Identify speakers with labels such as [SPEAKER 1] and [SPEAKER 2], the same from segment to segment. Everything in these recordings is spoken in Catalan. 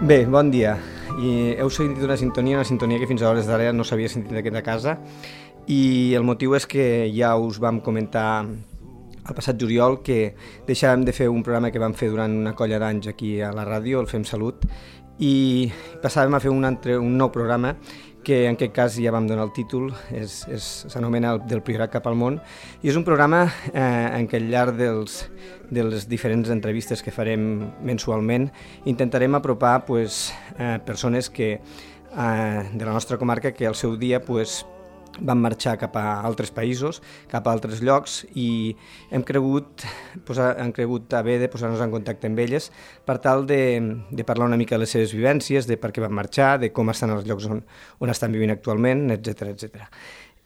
[SPEAKER 1] Bé, bon dia. I heu sentit una sintonia que fins a hores d'ara no s'havia sentit d'aquí de casa, i el motiu és que ja us vam comentar el passat juliol que deixàvem de fer un programa que vam fer durant una colla d'anys aquí a la ràdio, el Fem Salut, i passàvem a fer un nou programa que en aquest cas ja vam donar el títol, s'anomena Del Priorat cap al món, i és un programa en què al llarg de les diferents entrevistes que farem mensualment intentarem apropar persones de la nostra comarca que al seu dia van marxar cap a altres països, cap a altres llocs, i hem cregut haver de posar-nos en contacte amb elles per tal de parlar una mica de les seves vivències, de per què van marxar, de com estan els llocs on estan vivint actualment, etc.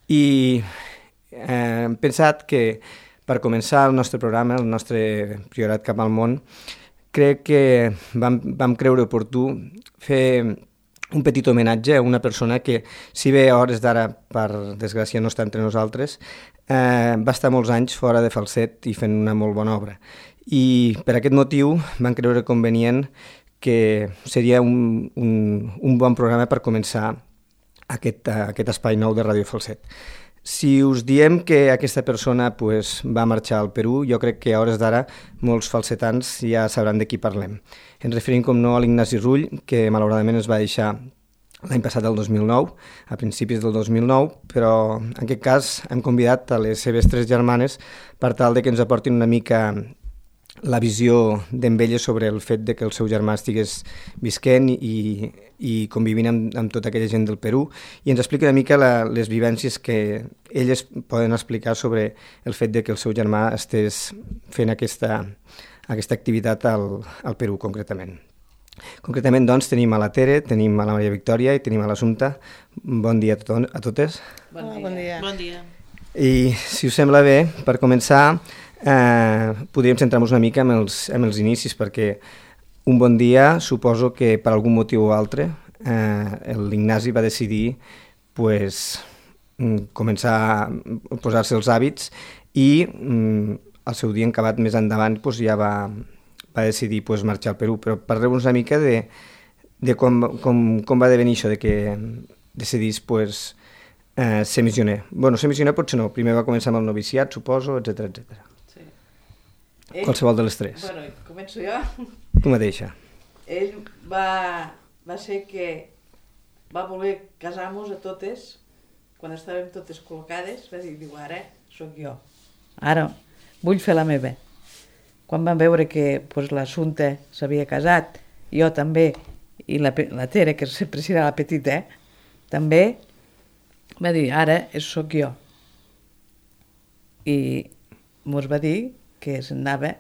[SPEAKER 1] I hem pensat que per començar el nostre programa, el nostre Priorat cap al món, crec que vam creure oportú fer un petit homenatge a una persona que, si bé a hores d'ara, per desgràcia, no està entre nosaltres, va estar molts anys fora de Falset i fent una molt bona obra. I per aquest motiu vam creure convenient que seria un bon programa per començar aquest espai nou de Ràdio Falset. Si us diem que aquesta persona va marxar al Perú, jo crec que a hores d'ara molts falsetans ja sabran de qui parlem. Ens referim, com no, a l'Ignasi Rull, que malauradament es va deixar l'any passat, el 2009, a principis del 2009, però en aquest cas hem convidat a les seves 3 germanes per tal de que ens aportin una mica la visió d'elles sobre el fet de que el seu germà estigués visquent i convivint amb tota aquella gent del Perú, i ens explica una mica les vivències que elles poden explicar sobre el fet de que el seu germà estés fent aquesta activitat al Perú, concretament. Concretament, doncs, tenim a la Tere, tenim a la Maria Victòria i tenim a l'Assumpta. Bon dia a totes.
[SPEAKER 2] Bon dia.
[SPEAKER 1] I, si us sembla bé, per començar, podríem centrar-nos una mica en els inicis, perquè un bon dia, suposo que per algun motiu o altre, l'Ignasi va decidir començar a posar-se els hàbits i el seu dia acabat més endavant ja va decidir marxar al Perú. Però parleu-nos una mica de com va devenir això de que decidís ser missioner. Bueno, ser missioner potser no, primer va començar amb el noviciat, suposo, etc.
[SPEAKER 2] Sí.
[SPEAKER 1] Qualsevol de les 3.
[SPEAKER 2] Bueno, començo jo.
[SPEAKER 1] Tu mateixa.
[SPEAKER 2] Ell va ser que va voler casar-nos a totes, quan estàvem totes col·locades, va dir, ara sóc jo. Ara vull fer la meva. Quan van veure que l'Assumpta s'havia casat, jo també, i la Tere, que sempre serà la petita, també, va dir, ara sóc jo. I mos va dir que s'anava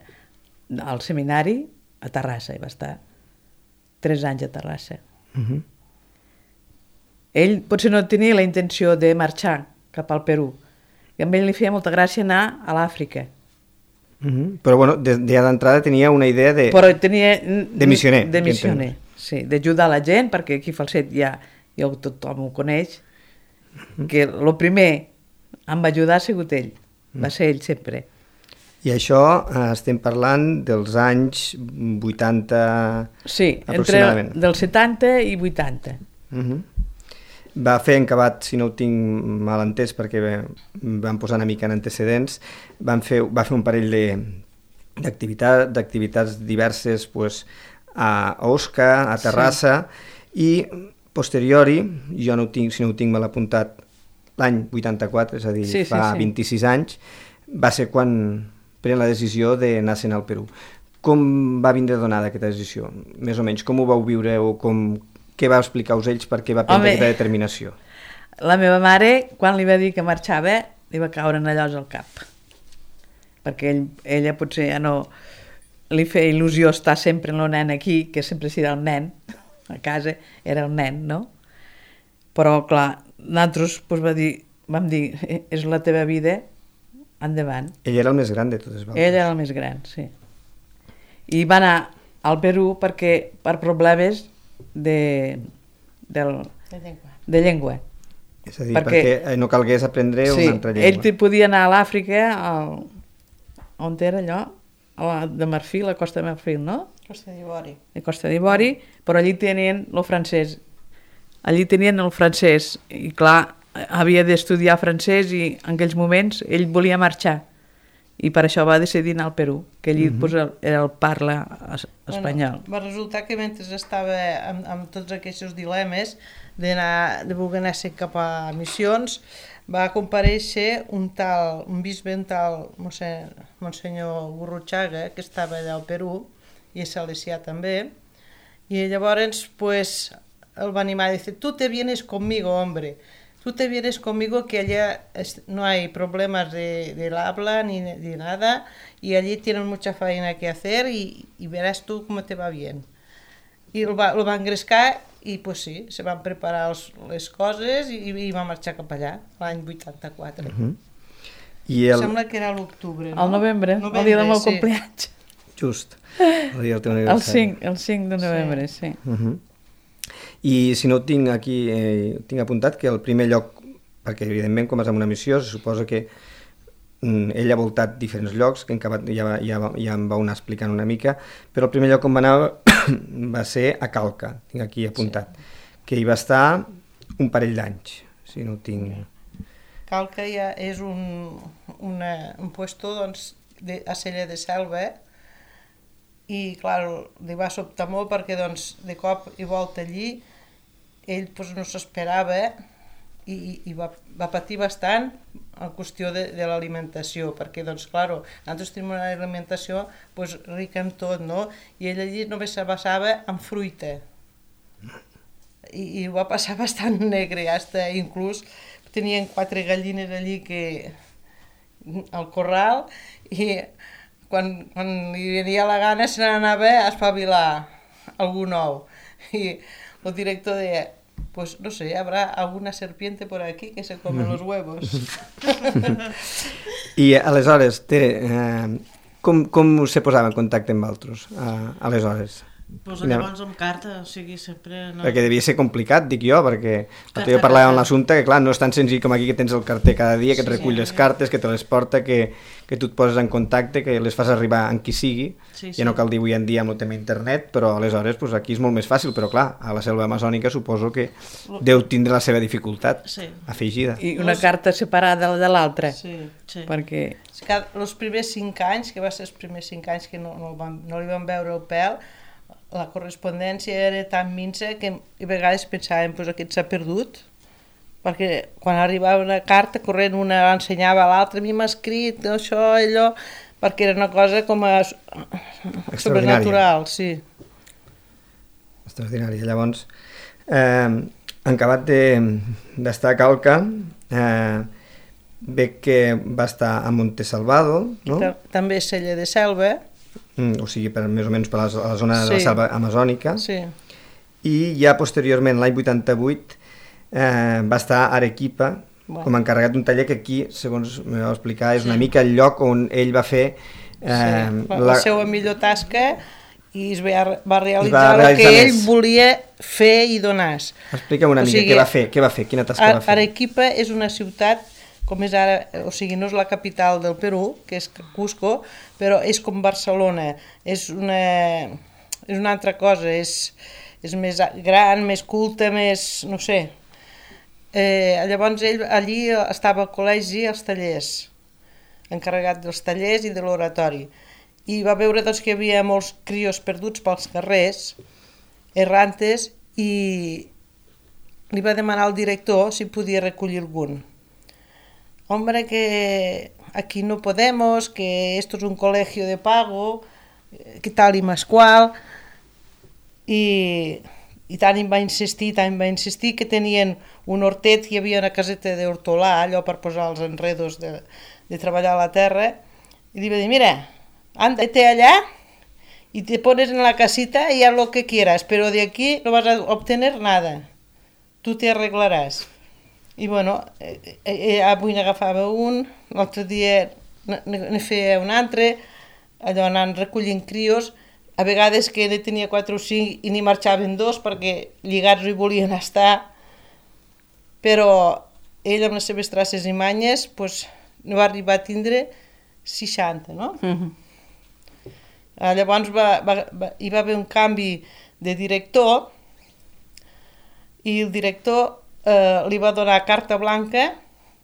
[SPEAKER 2] al seminari a Terrassa, i va estar 3 anys a Terrassa. Ell potser no tenia la intenció de marxar cap al Perú, i a ell li feia molta gràcia anar a l'Àfrica.
[SPEAKER 1] Però bueno, ja d'entrada tenia una idea de missioner.
[SPEAKER 2] De missioner, sí, d'ajudar la gent, perquè aquí a Falset ja tothom ho coneix, que el primer em va ajudar ha sigut ell, va ser ell sempre.
[SPEAKER 1] I això estem parlant dels anys 80
[SPEAKER 2] sí,
[SPEAKER 1] aproximadament.
[SPEAKER 2] Entre dels 70 i 80.
[SPEAKER 1] Va fer encabat, si no ho tinc mal entès, perquè vam posar una mica en antecedents, va fer un parell d'activitats diverses a Osca, a Terrassa, i posteriori, jo no ho tinc, si no ho tinc mal apuntat, l'any 84, és a dir, fa 26 anys, va ser quan pren la decisió d'anar-se'n al Perú. Com va vindre donada aquesta decisió? Més o menys, com ho vau viure o què va explicar-vos ells per què va prendre aquesta determinació?
[SPEAKER 2] La meva mare, quan li va dir que marxava, li va caure en allòs al cap. Perquè ella potser ja no li feia il·lusió estar sempre en el nen aquí, que sempre serà el nen, a casa era el nen, no? Però, clar, nosaltres vam dir, és la teva vida, endavant.
[SPEAKER 1] Ell era el més gran de totes vosaltres.
[SPEAKER 2] Ell era el més gran, sí. I va anar al Perú perquè per problemes de llengua.
[SPEAKER 1] És a dir, perquè no calgués aprendre una altra llengua.
[SPEAKER 2] Ell podia anar a l'Àfrica, on era allò? de Marfil, a Costa de Marfil, no?
[SPEAKER 3] Costa d'Ivori.
[SPEAKER 2] De Costa d'Ivori, però allí tenien el francès. Allí tenien el francès i clar, havia d'estudiar francès i en aquells moments ell volia marxar i per això va decidir anar al Perú, que allí pues, era el parla espanyol.
[SPEAKER 3] Bueno, va resultar que mentre estava amb tots aquests dilemes de voler anar cap a missions, va comparèixer un bisbe, un tal Monsenyor Gurruchaga, que estava allà al Perú, i és salesià també, i llavors pues, el va animar a dir, tú te vienes conmigo, hombre, tú te vienes conmigo que allá no hay problemas del habla ni de nada y allí tienen mucha faena que hacer y verás tú cómo te va bien. I el va engrescar i pues sí, se van preparar les coses i va marxar cap allà l'any 84. Sembla que era a l'octubre, no?
[SPEAKER 2] Al novembre, el dia del meu compleanys.
[SPEAKER 1] Just, el dia del teu aniversari.
[SPEAKER 2] El 5 de novembre, sí.
[SPEAKER 1] I si no ho tinc aquí, tinc apuntat que el primer lloc, perquè evidentment quan vas a una missió se suposa que ell ha voltat diferents llocs, que ja em va anar explicant una mica, però el primer lloc on va anar va ser a Calca, tinc aquí apuntat, que hi va estar un parell d'anys, si no ho tinc...
[SPEAKER 3] Calca ja és un puesto doncs, a Cella de Selva, i clar, li va sobtar molt perquè doncs, de cop i volta allí ell doncs, no s'esperava i va patir bastant en qüestió de l'alimentació, perquè doncs, clar, nosaltres tenim una alimentació doncs, rica en tot, no? I ell allí només se basava en fruita i ho va passar bastant negre, hasta inclús tenien 4 gallines allí al corral i quan li venia la gana se n'anava a espavilar algú nou. I el director deia, pues no sé, habrá alguna serpiente por aquí que se come los huevos.
[SPEAKER 1] I aleshores, Tere, com se posava en contacte amb altres, aleshores?
[SPEAKER 4] Pues llavors amb carta, o sigui, sempre... No...
[SPEAKER 1] Perquè devia ser complicat, dic jo, perquè jo parlava amb l'assumpte que, clar, no és tan senzill com aquí que tens el carter cada dia, que et recull les cartes, que te les porta, que tu et poses en contacte, que les fas arribar amb qui sigui, ja no cal dir avui en dia amb el tema internet, però aleshores pues, aquí és molt més fàcil, però clar, a la selva amazònica suposo que deu tindre la seva dificultat afegida.
[SPEAKER 2] I una carta separada de l'altra, perquè...
[SPEAKER 3] Els primers 5 anys, que va ser els primers 5 anys que no li van veure el pèl, la correspondència era tan minsa que a vegades pensàvem que aquest s'ha perdut, perquè quan arribava una carta corrent una ensenyava a l'altra, a mi m'ha escrit això, allò, perquè era una cosa com a sobrenatural, sí.
[SPEAKER 1] Extraordinària. Llavors, en acabat d'estar a Calca, veig que va estar a Montesalvado, no?
[SPEAKER 3] També a Cella de Selva,
[SPEAKER 1] o sigui, més o menys per la zona de la selva amazònica, i ja posteriorment, l'any 88, va estar a Arequipa com a encarregat d'un taller que aquí, segons me va explicar, és una mica el lloc on ell va fer
[SPEAKER 3] la seva millor tasca i es va realitzar el que ell volia fer i donar.
[SPEAKER 1] Explica'm una mica què va fer, quina tasca va fer.
[SPEAKER 3] Arequipa és una ciutat com és ara, o sigui, no és la capital del Perú, que és Cusco, però és com Barcelona, és una altra cosa, és més gran, més culta, més, no sé. Llavors ell allí estava al col·legi, als tallers, encarregat dels tallers i de l'oratori, i va veure doncs, que hi havia molts crios perduts pels carrers, errantes, i li va demanar al director si podia recollir algun. Hombre, que aquí no podemos, que esto es un colegio de pago, que tal i más qual, i tant em va insistir que tenien un hortet, hi havia una caseta d'hortolà, allò per posar els enredos de treballar a la terra, i li va dir, mira, ándate allá y te pones en la casita y haz lo que quieras, pero de aquí no vas a obtener nada, tú te arreglarás. I bueno, avui n'agafava un, l'altre dia ne feia un altre, allò anant recollint crios, a vegades que ne tenia 4 o 5 i n'hi marxaven 2 perquè lligats hi volien estar, però ell amb les seves traces i manyes no va arribar a tindre 60, no? Llavors hi va haver un canvi de director i el director li va donar carta blanca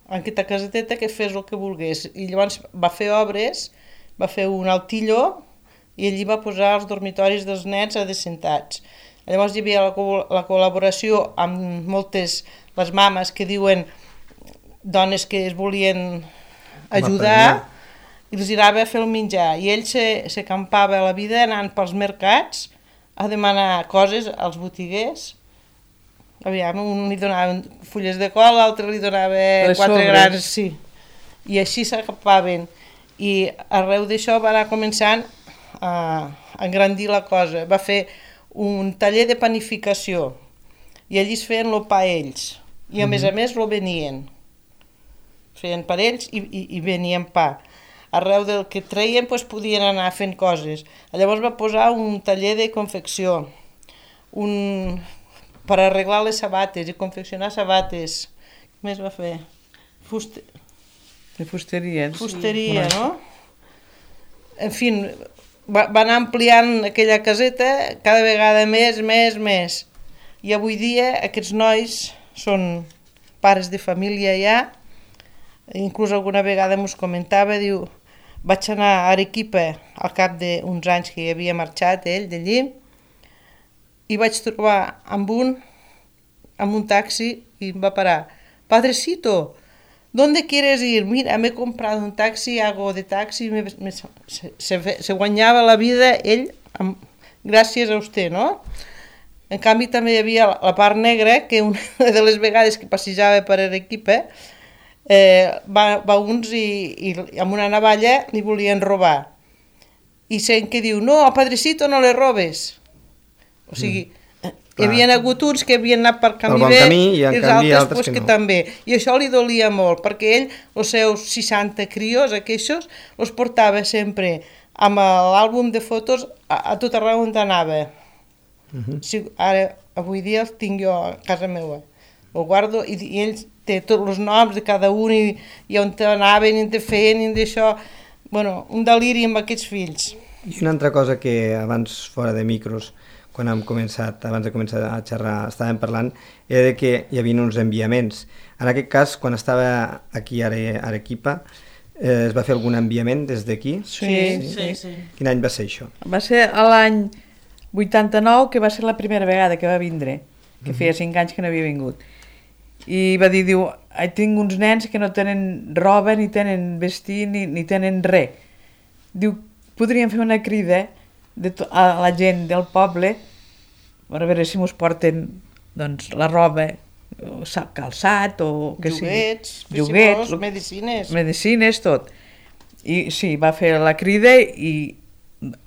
[SPEAKER 3] a aquesta caseteta que fes el que volgués. I llavors va fer obres, va fer un altilló i ell hi va posar els dormitoris dels nens adecentats. Llavors hi havia la col·laboració amb moltes, les mames que diuen dones que es volien ajudar i els anava a fer el menjar. I ell s'acampava a la vida anant pels mercats a demanar coses als botiguers. Aviam, un li donaven fulles de col, l'altre li donava 4 grans. Sí. I així s'acampaven. I arreu d'això va anar començant a engrandir la cosa. Va fer un taller de panificació i allí es feien el pa ells. I a més lo venien. Feien per ells i venien pa. Arreu del que treien podien anar fent coses. Llavors va posar un taller de confecció, per arreglar les sabates i confeccionar sabates. Què més va fer?
[SPEAKER 2] De fusteria.
[SPEAKER 3] Fusteria, no? En fi, va anar ampliant aquella caseta cada vegada més. I avui dia aquests nois són pares de família ja. Inclús alguna vegada mos comentava, diu, vaig anar a Arequipa al cap d'uns anys que hi havia marxat ell d'allí i vaig trobar amb un taxi i em va parar. Padrecito, ¿dónde quieres ir? Mira, me he comprado un taxi, hago de taxi. Se guanyava la vida ell gràcies a vostè, no? En canvi també hi havia la part negra que una de les vegades que passejava per Arequipa va uns i amb una navalla li volien robar. I sent que diu, no, padrecito, no le robes. O sigui, hi havia hagut uns que havien anat per camí bé i els altres que també. I això li dolia molt, perquè ell, els seus 60 crios, aquests, els portava sempre amb l'àlbum de fotos a tot arreu on anava. Ara, avui dia els tinc jo a casa meva. El guardo i ell té tots els noms de cada un i on anaven i on feien i d'això. Bueno, un deliri amb aquests fills.
[SPEAKER 1] I una altra cosa que abans, fora de micros, quan abans de començar a xerrar, estàvem parlant, era que hi havia uns enviaments. En aquest cas, quan estava aquí a Arequipa, es va fer algun enviament des d'aquí?
[SPEAKER 2] Sí.
[SPEAKER 1] Quin any va ser això?
[SPEAKER 2] Va ser l'any 89, que va ser la primera vegada que va vindre, que feia 5 anys que no havia vingut. I va dir, diu, tinc uns nens que no tenen roba, ni tenen vestir, ni tenen res. Diu, podríem fer una crida a la gent del poble per veure si mos porten doncs, la roba, calçat o que
[SPEAKER 3] lloguets,
[SPEAKER 2] medicines, tot. I sí, va fer la crida i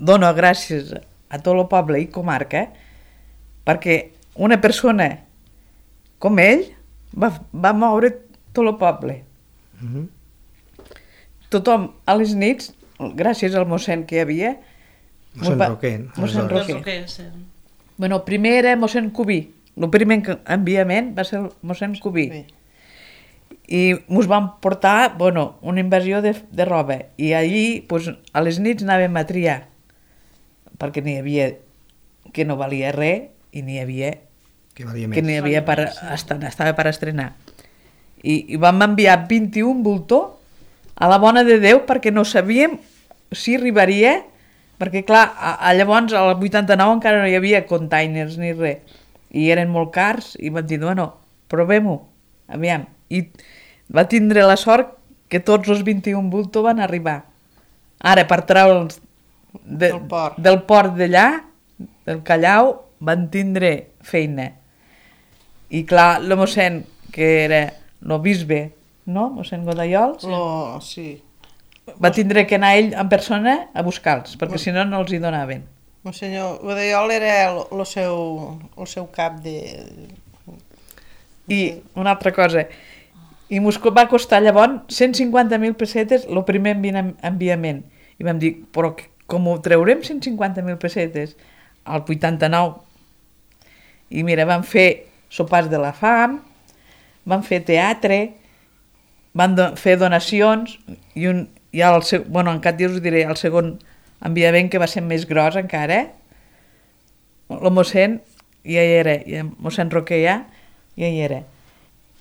[SPEAKER 2] dono gràcies a tot el poble i comarca perquè una persona com ell va moure tot el poble. Tothom a les nits, gràcies al mossèn que hi havia,
[SPEAKER 1] Mossèn Roquer.
[SPEAKER 2] Bueno, primer era mossèn Cubí. El primer enviament va ser el mossèn Cubí. I ens van portar, una invasió de roba. I allí, a les nits anàvem a triar, perquè n'hi havia que no valia res i n'hi havia que n'hi havia estava per estrenar. I vam enviar 21 voltors a la bona de Déu perquè no sabíem si arribaria, perquè clar, llavors al 89 encara no hi havia containers ni res, i eren molt cars, i vam dir, provem-ho, aviam. I va tindre la sort que tots els 21 voltors van arribar. Ara, per treure'ls del port d'allà, del Callao, van tindre feina. I clar, el mossèn, que era el bisbe, no? Mossèn Godayols,
[SPEAKER 3] sí.
[SPEAKER 2] Va tindre que anar ell en persona a buscar-los, perquè si no, no els hi donaven.
[SPEAKER 3] Monsenyor Godayol era el seu cap de...
[SPEAKER 2] I una altra cosa, i ens va costar llavors 150.000 pessetes el primer enviament. I vam dir, però com ho traurem 150.000 pessetes? Al 89. I mira, vam fer sopars de la fam, van fer teatre, van fer donacions, i en cap dia us diré, el segon enviament que va ser més gros encara, el mossèn ja hi era, i el mossèn Roquer ja hi era.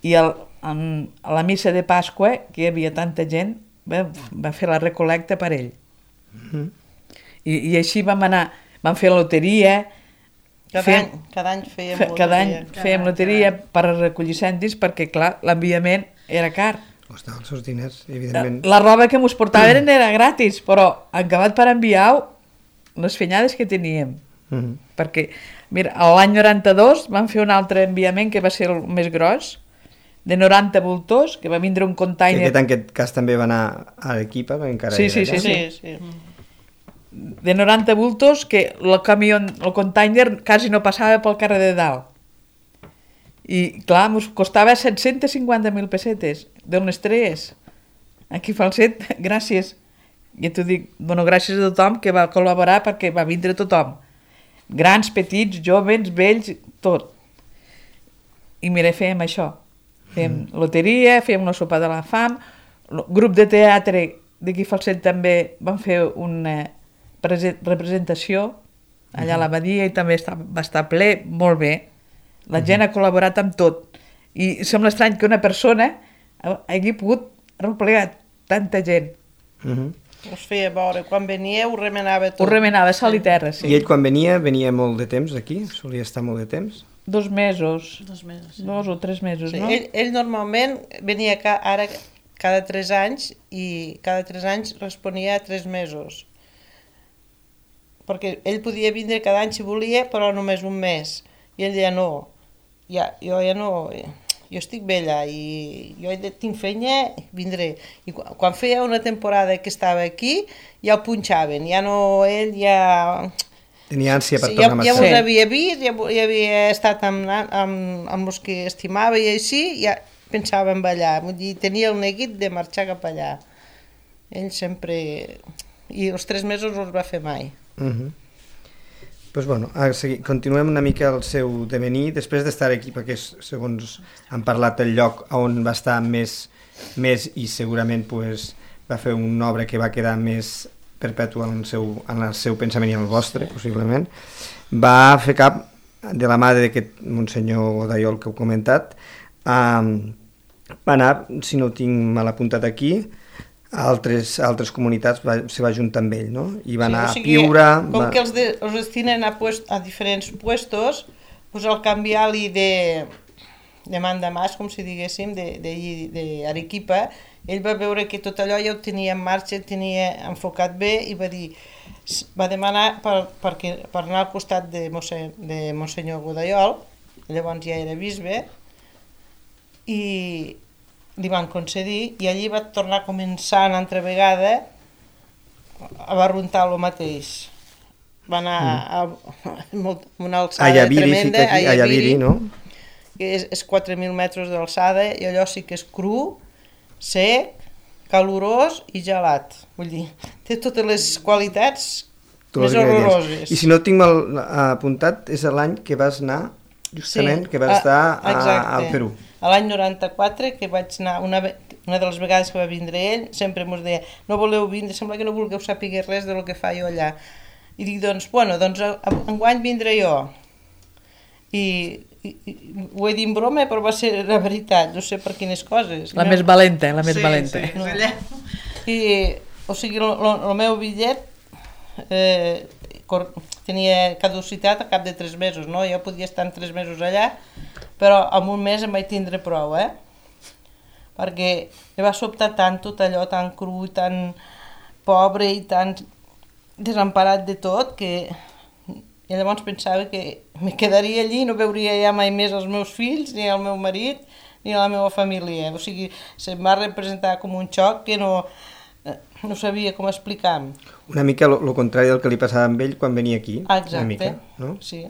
[SPEAKER 2] I a la missa de Pasqua, que hi havia tanta gent, va fer la recolecta per ell. I així vam fer la loteria.
[SPEAKER 3] Cada any
[SPEAKER 2] fèiem loteria per recollir cèntims, perquè, clar, l'enviament era car.
[SPEAKER 1] Costaven els seus diners, evidentment.
[SPEAKER 2] La roba que mos portaven era gratis, però acabat per enviar les fenyades que teníem. Perquè, mira, l'any 92 vam fer un altre enviament que va ser el més gros, de 90 voltors, que va vindre un container...
[SPEAKER 1] Que en aquest cas també va anar a l'equipa, encara
[SPEAKER 2] sí. De 90 voltos, que el container quasi no passava pel carrer de dalt. I, clar, ens costava 750.000 pessetes, d'unes tres. Aquí Falset, gràcies. Ja t'ho dic, bueno, gràcies a tothom que va col·laborar, perquè va vindre tothom. Grans, petits, joves, vells, tot. I mira, fèiem això. Fèiem loteria, fèiem una sopa de la fam, grup de teatre d'aquí Falset també van fer una representació allà a l'abadia i també va estar ple, molt bé. La gent ha col·laborat amb tot. I sembla estrany que una persona hagi pogut replegar tanta gent.
[SPEAKER 3] Us feia veure, quan venia ho remenava tot.
[SPEAKER 2] Ho remenava, sal i terra, sí.
[SPEAKER 1] I ell quan venia molt de temps aquí? Solia estar molt de temps?
[SPEAKER 2] 2 mesos.
[SPEAKER 4] 2 mesos, sí.
[SPEAKER 2] 2 o 3 mesos,
[SPEAKER 3] Sí,
[SPEAKER 2] no?
[SPEAKER 3] ell normalment venia ara cada 3 anys i cada 3 anys responia a 3 mesos. Perquè ell podia vindre cada any si volia, però només un mes. I ell deia no, jo ja no, jo estic vella i jo tinc feina, vindré. I quan feia una temporada que estava aquí, ja ho punxaven, ja no, ell ja...
[SPEAKER 1] Tenia ànsia per tornar a
[SPEAKER 3] Ja
[SPEAKER 1] marxar.
[SPEAKER 3] us havia vist, ja havia estat amb els que estimava i així, ja pensava en allà. Vull dir, tenia el neguit de marxar cap allà. Ell sempre... I els 3 mesos no els va fer mai.
[SPEAKER 1] Pues bueno, continuem una mica el seu devenir, després d'estar aquí, perquè segons han parlat del lloc on va estar més i segurament pues, va fer una obra que va quedar més perpètua en el seu pensament i en el vostre, possiblement. Va fer cap de la mà d'aquest Monsenyor Godaiol que heu comentat, va anar, si no ho tinc mal apuntat aquí, a altres comunitats se va juntar amb ell, no? I va anar a Piura...
[SPEAKER 3] Com que els destinen a diferents puestos, pues al canviar-li de mandamàs, com si diguéssim, d'Arequipa, ell va veure que tot allò ja ho tenia en marxa, ho tenia enfocat bé i va demanar per anar al costat de Monsenyor Godaiol, llavors ja era bisbe, i li van concedir i allí va tornar a començar una altra vegada a barruntar el mateix. Va anar a una alçada tremenda,
[SPEAKER 1] a Ayaviri, no?
[SPEAKER 3] Que és 4.000 metres d'alçada i allò sí que és cru, sec, calorós i gelat. Vull dir, té totes les qualitats més horroroses.
[SPEAKER 1] I si no tinc mal apuntat, és l'any que vas anar, justament, que vas estar al Perú.
[SPEAKER 3] A l'any 94, que vaig anar, una de les vegades que va vindre ell, sempre ens deia, no voleu vindre, sembla que no vulgueu saber res del que fa jo allà. I dic, doncs enguany vindré jo. I ho he dit en broma, però va ser la veritat, no sé per quines coses.
[SPEAKER 2] La més valenta, la més valenta.
[SPEAKER 3] Sí, allà. I, o sigui, el meu bitllet tenia caducitat a cap de 3 mesos, no? Jo podia estar en 3 mesos allà, però en un mes em vaig tindre prou, perquè em va sobtar tant tot allò, tan cru, tan pobre i tan desemparat de tot, que i llavors pensava que me quedaria allí i no veuria ja mai més els meus fills, ni el meu marit, ni la meva família. O sigui, se'm va representar com un xoc que no sabia com explicar.
[SPEAKER 1] Una mica el contrari del que li passava amb ell quan venia aquí.
[SPEAKER 3] Exacte,
[SPEAKER 1] una mica, no?
[SPEAKER 3] Sí.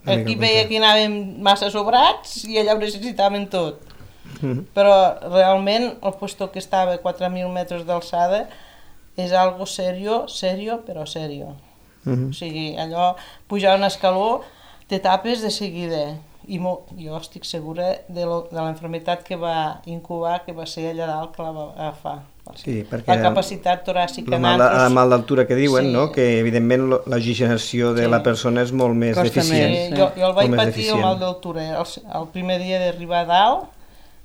[SPEAKER 3] Aquí veia que anàvem massa sobrats i allà ho necessitàvem tot. Però realment el puesto que estava a 4.000 metres d'alçada és algo serio, però serio. O sigui, allò, pujar un escaló, te tapes de seguida. I jo estic segura de la enfermitat que va incubar, que va ser allà dalt que la va agafar.
[SPEAKER 1] Sí, perquè
[SPEAKER 3] la capacitat toràcica
[SPEAKER 1] la mal d'altura que diuen,
[SPEAKER 3] Sí.
[SPEAKER 1] no? Que evidentment l'oxigenació de la persona és molt més
[SPEAKER 2] Costa
[SPEAKER 1] deficient.
[SPEAKER 2] més.
[SPEAKER 3] Jo el vaig
[SPEAKER 1] Molt més
[SPEAKER 3] patir el mal d'altura. El primer dia d'arribar a dalt,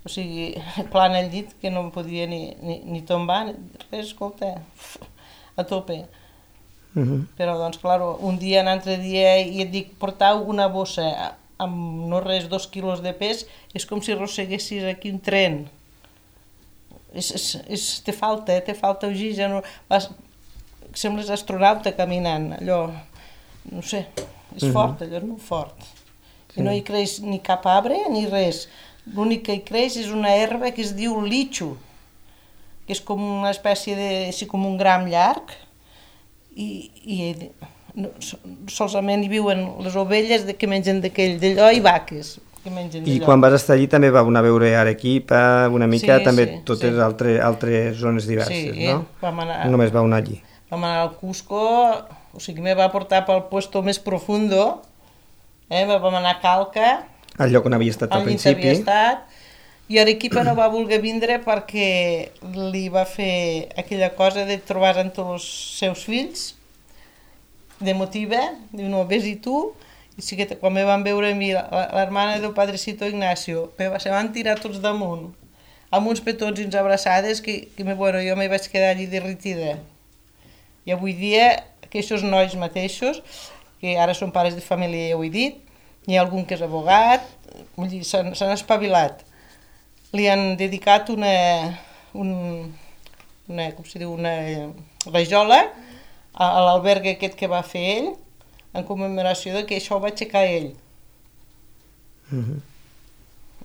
[SPEAKER 3] o sigui, clar en el llit, que no em podia ni tombar, ni res, escolta, a tope. Però, doncs, clar, un dia, un altre dia, i et dic, portar una bossa amb no res, 2 quilos de pes, és com si arrosseguessis aquí un tren. Te falta oxigen, sembles astronauta caminant, allò, no sé, és fort, allò és molt fort. I no hi creix ni cap arbre ni res. L'únic que hi creix és una herba que es diu litxo, que és com una espècie de, així com un gram llarg, i solament hi viuen les ovelles que mengen d'allò i vaques que mengen d'allò.
[SPEAKER 1] I quan vas estar allí també vau anar a veure Arequipa, una mica,
[SPEAKER 3] Sí,
[SPEAKER 1] també
[SPEAKER 3] sí,
[SPEAKER 1] totes
[SPEAKER 3] sí.
[SPEAKER 1] altres zones diverses,
[SPEAKER 3] Sí,
[SPEAKER 1] no?
[SPEAKER 3] vam anar,
[SPEAKER 1] Només vau anar allí.
[SPEAKER 3] vam anar al Cusco, o sigui, me va portar pel puesto més profundo, vam anar a Calca,
[SPEAKER 1] Al lloc on havia estat al
[SPEAKER 3] al llit
[SPEAKER 1] principi.
[SPEAKER 3] havia estat, i Arequipa no va voler vindre perquè li va fer aquella cosa de trobar amb tots els seus fills, de motiva, diu, no, vés-hi tu, i sí que quan me van veure a mi, l'hermana del Padrecito Ignacio, se van tirar tots damunt, amb uns petons i uns abraçades, que bueno, jo me vaig quedar allí derretida. I avui dia, aquests nois mateixos, que ara són pares de família, ja ho he dit, hi ha algun que és abogat, vull dir, s'han espavilat. Li han dedicat una rajola a l'albergue aquest que va fer ell, en commemoració de que això ho va aixecar ell.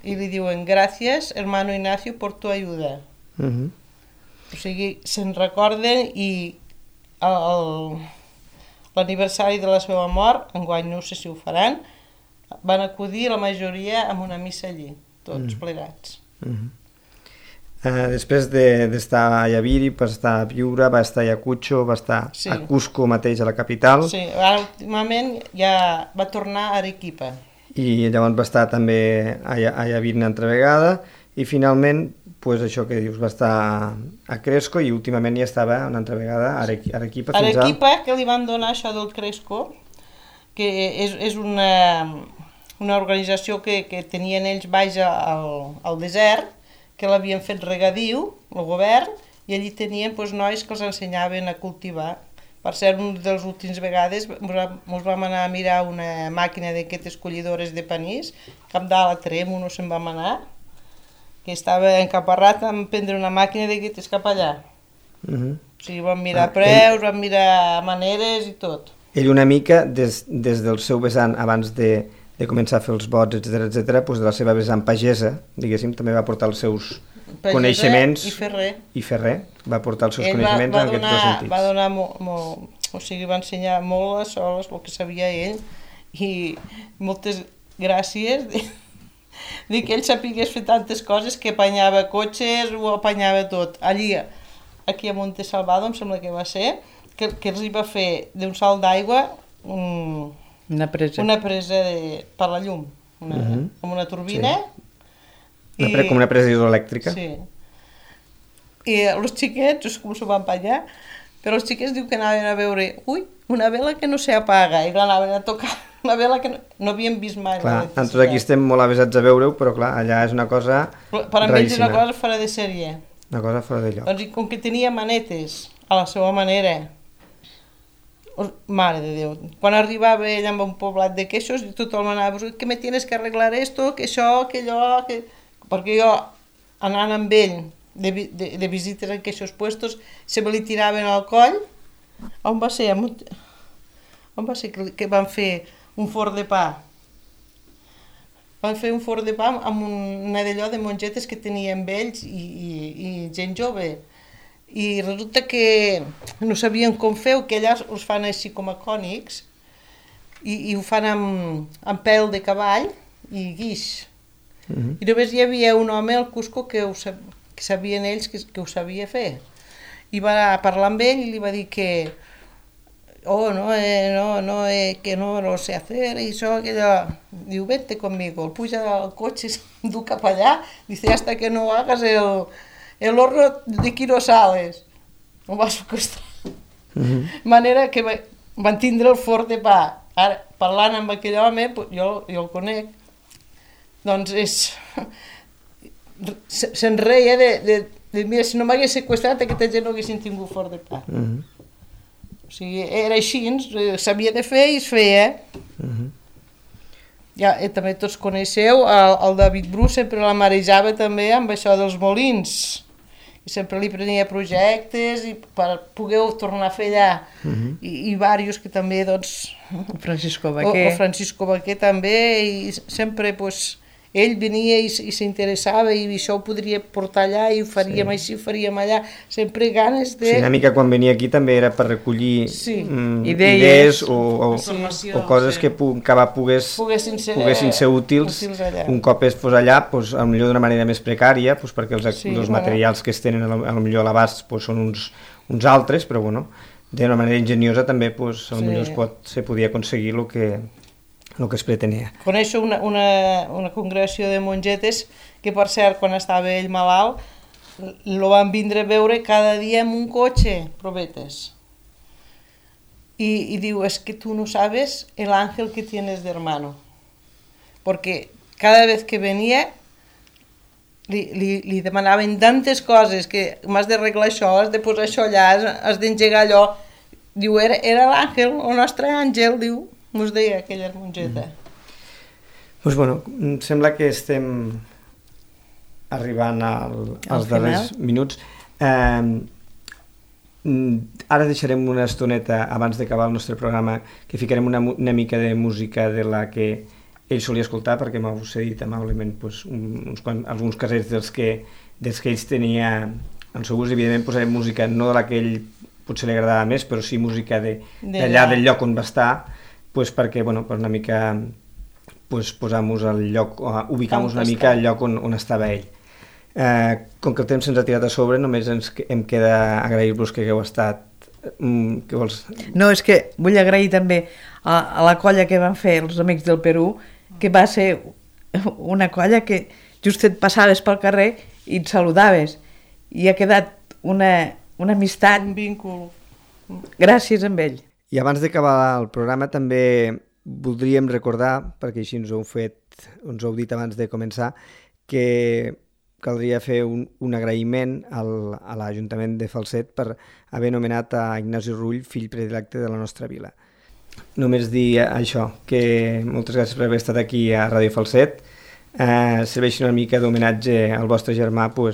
[SPEAKER 3] I li diuen, gràcies, hermano Ignacio, por tu ayuda. O sigui, se'n recorden i l'aniversari de la seva mort, enguany no sé si ho faran, van acudir la majoria amb una missa allí, tots plegats.
[SPEAKER 1] Després d'estar a Yaviri, va estar a Piura, va estar a Ayacucho, va estar
[SPEAKER 3] Sí.
[SPEAKER 1] a Cusco mateix, a la capital,
[SPEAKER 3] Sí, ara últimament ja va tornar a Arequipa.
[SPEAKER 1] i llavors va estar també a Yaviri una altra vegada, i finalment, pues això que dius, va estar a Cresco, i últimament ja estava una altra vegada a Arequipa fins a...
[SPEAKER 3] Arequipa, que li van donar això del Cresco, que és una organització que tenien ells baix al desert, que l'havien fet regadiu, el govern, i allí tenien nois que els ensenyaven a cultivar. Per cert, una de les últimes vegades ens vam anar a mirar una màquina d'aquestes collidores de panís, cap dalt a Tremo no se'n vam anar, que estava encaparrat a prendre una màquina d'aquestes cap allà. O sigui, vam mirar preus, vam mirar maneres i tot.
[SPEAKER 1] Ell una mica, des del seu vessant, abans de començar a fer els bots, etc, doncs de la seva vessant pagesa, diguéssim, també va portar els seus coneixements...
[SPEAKER 3] I ferrer.
[SPEAKER 1] I ferrer, va portar els seus
[SPEAKER 3] Ell
[SPEAKER 1] coneixements en aquests dos sentits.
[SPEAKER 3] va donar o sigui, va ensenyar molt les soles, el que sabia ell, i moltes gràcies de que ell sapigués fer tantes coses, que apanyava cotxes, ho apanyava tot. Allí, aquí a Monte Salvado, em sembla que va ser, que els hi va fer d'un salt d'aigua
[SPEAKER 2] Una presa.
[SPEAKER 3] per la llum, amb una turbina.
[SPEAKER 1] Sí. Com una presa hidroelèctrica.
[SPEAKER 3] Sí. I els xiquets, no sé com s'ho van empanyar, però els xiquets diu que anaven a veure, una vela que no s'apaga, i anaven a tocar una vela que no havien vist mai.
[SPEAKER 1] Clar, nosaltres aquí estem molt avesats a veure-ho, però clar, allà és una cosa
[SPEAKER 3] Per a ells és una cosa fora de sèrie.
[SPEAKER 1] Una cosa fora de lloc.
[SPEAKER 3] Doncs i com que tenia manetes, a la seva manera, mare de Déu, quan arribava ell amb un poblat de queixos, tothom anava, que me tienes que arreglar esto, que això, que allò, que... Perquè jo, anant amb ell de visites en aquests puestos, se me li tiraven al coll. On va ser? On va ser que van fer un forn de pa? Van fer un forn de pa amb una d'allò de mongetes que tenien vells i gent jove. I resulta que no sabien com fer, que allà els fan així com a cònics, i ho fan amb pèl de cavall i guix. I només hi havia un home al Cusco que sabien ells que ho sabia fer. I va parlar amb ell i li va dir que que no lo sé hacer, i això, que allò. Diu, vete conmigo, el puja al cotxe, du cap allà, dice, hasta que no hagas el horno de Quirosales. Ho va sequestrar. Manera que van tindre el forn de pa. Ara, parlant amb aquell home, jo el conec, doncs se'n reia de mira, si no m'hagués sequestrat, aquesta gent no haguessin tingut forn de pa. O sigui, era així, s'havia de fer i es feia. Ja, també tots coneixeu, el David Bru sempre la marejava també amb això dels molins. I sempre li prenia projectes i per poder tornar a fer allà. I diversos que també, doncs...
[SPEAKER 2] Francisco Baquer.
[SPEAKER 3] O Francisco Baquer també, i sempre, doncs, ell venia i s'interessava i això ho podria portar allà i ho faríem així, ho faríem allà. Sempre ganes de...
[SPEAKER 1] Sí, una mica quan venia aquí també era per recollir
[SPEAKER 2] idees
[SPEAKER 1] o coses que poguessin ser útils un cop es fos allà, potser d'una manera més precària, perquè els materials que es tenen potser a l'abast són uns altres, però d'una manera enginyosa també potser se podia aconseguir el que es pretenia.
[SPEAKER 3] Coneixo una congregació de mongetes que, per cert, quan estava ell malalt, lo van vindre a veure cada dia en un cotxe, probetes. Y digo, es que tú no sabes el ángel que tienes de hermano. Porque cada vez que venía, li demanaven tantes coses que m'has d'arreglar això, has de posar això allà, has d'engegar allò. Diu, era l'àngel, el nostre àngel, diu. Mos deia aquella mongeta.
[SPEAKER 1] Doncs em sembla que estem arribant als darrers minuts. Ara deixarem una estoneta abans d'acabar el nostre programa que ficarem una mica de música de la que ell solia escoltar, perquè m'heu cedit amablement alguns casets dels que ells tenia en seu ús. Evidentment posarem música no de la que ell potser li agradava més, però sí música d'allà del lloc on va estar, perquè una mica posar-nos al lloc, ubicar-nos una mica al lloc on estava ell. Com que el temps se'ns ha tirat a sobre, només em queda agrair-vos que hagueu estat. Què vols?
[SPEAKER 2] No, és que vull agrair també a la colla que van fer els Amics del Perú, que va ser una colla que just et passaves pel carrer i et saludaves, i ha quedat una amistat.
[SPEAKER 3] Un víncul.
[SPEAKER 2] Gràcies amb ell.
[SPEAKER 1] I abans d'acabar el programa també voldríem recordar, perquè així ens ho heu dit abans de començar, que caldria fer un agraïment a l'Ajuntament de Falset per haver nomenat a Ignasi Rull fill predilecte de la nostra vila. Només dir això, que moltes gràcies per haver estat aquí a Ràdio Falset. Serveixi una mica d'homenatge al vostre germà per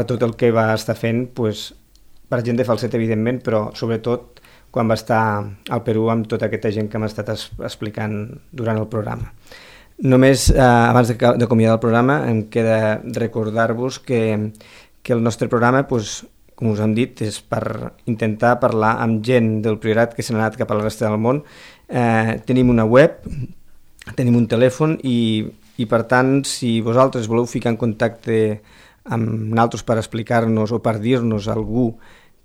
[SPEAKER 1] tot el que va estar fent, per gent de Falset, evidentment, però sobretot quan va estar al Perú amb tota aquesta gent que m'ha estat explicant durant el programa. Només, abans d'acomiadar el programa, em queda recordar-vos que el nostre programa, com us hem dit, és per intentar parlar amb gent del Priorat que s'ha anat cap a la resta del món. Tenim una web, tenim un telèfon i per tant, si vosaltres voleu ficar en contacte amb nosaltres per explicar-nos o per dir-nos algú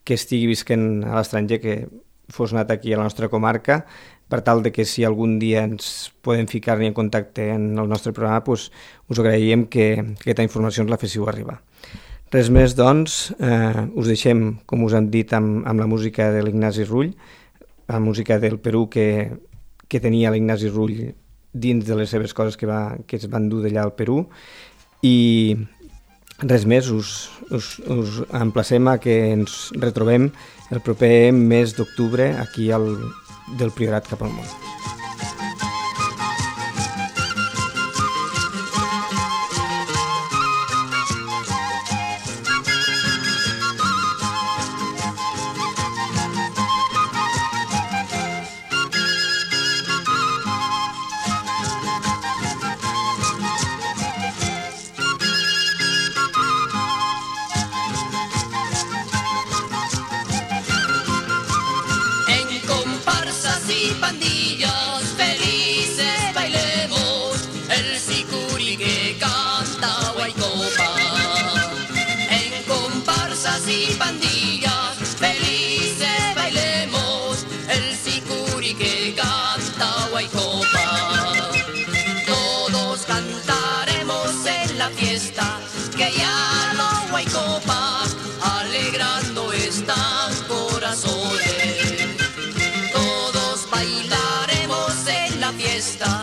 [SPEAKER 1] que estigui visquent a l'estranger, que fos anat aquí a la nostra comarca, per tal de que si algun dia ens podem ficar-hi en contacte en el nostre programa, us agraïm que aquesta informació ens la féssiu arribar. Res més, doncs, us deixem, com us hem dit, amb la música de l'Ignasi Rull, la música del Perú que tenia l'Ignasi Rull dins de les seves coses que es van dur d'allà al Perú, i res més, us emplacem a que ens retrobem el proper mes d'octubre aquí del Priorat cap al món.
[SPEAKER 5] En comparsas y pandillas está